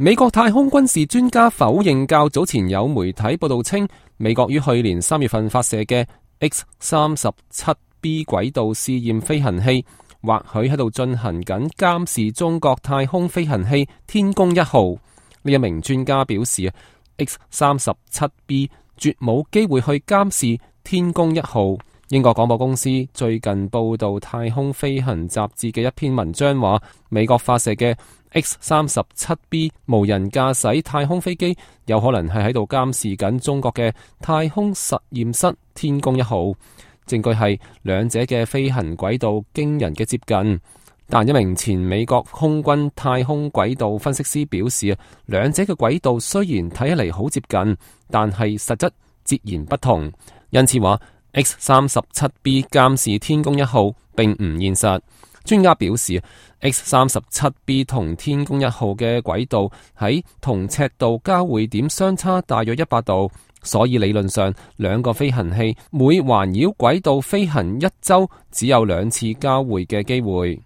美國太空軍事專家否認較早前有媒體報道稱，美國於去年3月份發射嘅 X-37B 軌道試驗飛行器，或許喺度進行緊監視中國太空飛行器天宮1號。呢一名專家表示，X-37B 絕冇機會去監視天宮1號。英國廣播公司最近報道太空飛行雜誌嘅一篇文章話，美國發射嘅 X-37B 無人駕駛太空飛機有可能係喺度監視緊中國嘅太空實驗室天宮1號。證據係兩者嘅飛行軌道驚人嘅接近，但一名前美國空軍太空軌道分析師表示，兩者嘅軌道雖然睇起嚟好接近，但係實質截然不同，因此話X-37B 監視天宮1號並唔現實。專家表示，X-37B 同天宮1號嘅軌道喺同赤道交匯點相差大約100度，所以理論上兩個飛行器每環繞軌道飛行1周只有2次交匯嘅機會。